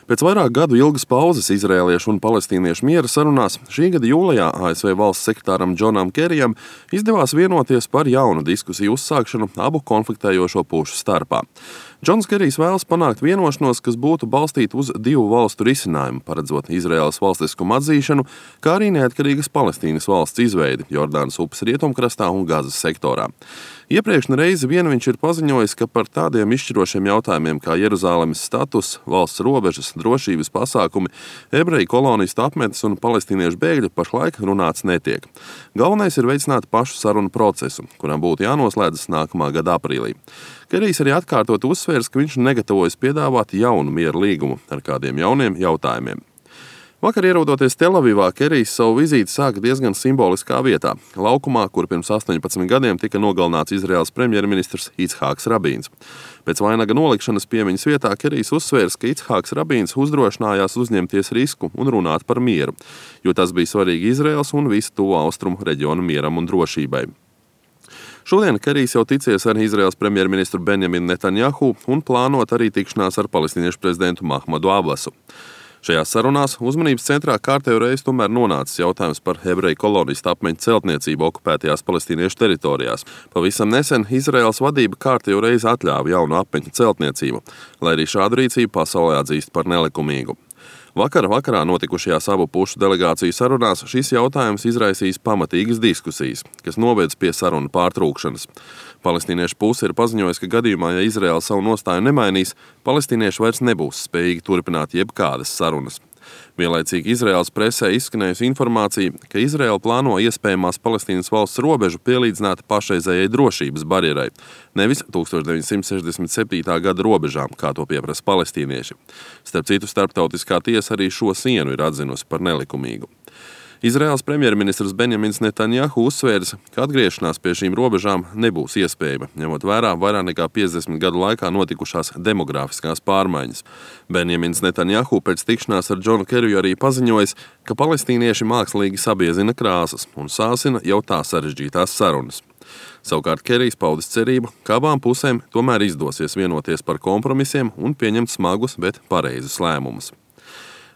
Pēc vairāk gadu ilgas pauzes izrēliešu un palestīniešu miera sarunās šī gada jūlijā ASV valsts sekretāram Džonam Kerijam izdevās vienoties par jaunu diskusiju uzsākšanu abu konfliktējošo pušu starpā. Džons Kerijs vēlas panākt vienošanos, kas būtu balstīta uz divu valstu risinājumu, paredzot Izraēlas valstiskumu atzīšanu, kā arī neatkarīgas Palestīnas valsts izveidi Jordānas upes rietumkrastā un Gazas sektorā. Iepriekšna reize vien viņš ir paziņojis, ka par tādiem izšķirošiem jautājumiem kā Jeruzālemes status, valsts robežas, drošības pasākumi, ebreju kolonistu apmetnes un palestīniešu bēgļi pašlaik runāts netiek. Galvenais ir veicināt pašu sarunu procesu, kuram būtu jānoslēdzas nākamā gada aprīlī. Kerijs arī atkārtot uzsvērs, ka viņš negatavojas piedāvāt jaunu miera līgumu ar kādiem jauniem jautājumiem. Vakar ierodoties Telavivā, Kerijs savu vizīti sāka diezgan simboliskā vietā – laukumā, kur pirms 18 gadiem tika nogalināts Izraēlas premjerministrs Ichāks Rabīns. Pēc vainaga nolikšanas piemiņas vietā Kerijs uzsvērs, ka Ichāks Rabīns uzdrošinājās uzņemties risku un runāt par mieru, jo tas bija svarīgi Izraēlas un visu tuvo austrumu reģionu mieram un drošībai. Šodien Kerijs jau ticies ar Izraēlas premjerministru Benjaminu Netanjahu un plānot arī tikšanās ar palestīniešu prezidentu Mahmadu Abbasu. Šajās sarunās uzmanības centrā kārtējo reizi tomēr nonācis jautājums par ebreju kolonistu apmetņu celtniecību okupētajās palestīniešu teritorijās. Pavisam nesen Izraēlas vadība kārtējo reizi atļāva jaunu apmetņu celtniecību, lai arī šādu rīcību pasaulē atzīst par nelikumīgu. Vakarā notikušajās abu pušu delegāciju sarunās šis jautājums izraisīs pamatīgas diskusijas, kas novedz pie sarunu pārtrūkšanas. Palestīniešu puse ir paziņojusi, ka gadījumā, ja Izraēla savu nostāju nemainīs, palestīnieši vairs nebūs spējīgi turpināt jebkādas sarunas. Vienlaicīgi Izraēlas presē izskanējusi informācija, ka Izraēla plāno iespējamās Palestīnas valsts robežu pielīdzināt pašreizējai drošības barjerai, nevis 1967. gada robežām, kā to pieprasa palestīnieši. Starp citu, starptautiskā tiesa arī šo sienu ir atzinusi par nelikumīgu. Izraēlas premjerministrs Benjamins Netanjahu uzsvērs, ka atgriešanās pie šīm robežām nebūs iespējama, ņemot vērā vairāk nekā 50 gadu laikā notikušās demogrāfiskās pārmaiņas. Benjamins Netanjahu pēc tikšanās ar Džonu Keriju arī paziņojis, ka palestīnieši mākslīgi sabiezina krāsas un sāsina jau tā sarežģītās sarunas. Savukārt Kerijs paudis cerību, ka abām pusēm tomēr izdosies vienoties par kompromisiem un pieņemt smagus, bet pareizus lēmumus.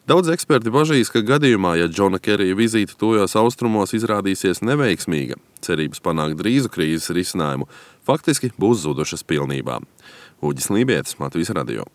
Daudz eksperti bažīs, ka gadījumā, ja Džona Kerija vizīte tuvajos austrumos izrādīsies neveiksmīga, cerības panākt drīzu krīzes risinājumu faktiski būs zudušas pilnībā. Uģis Lībietis, Latvijas radio.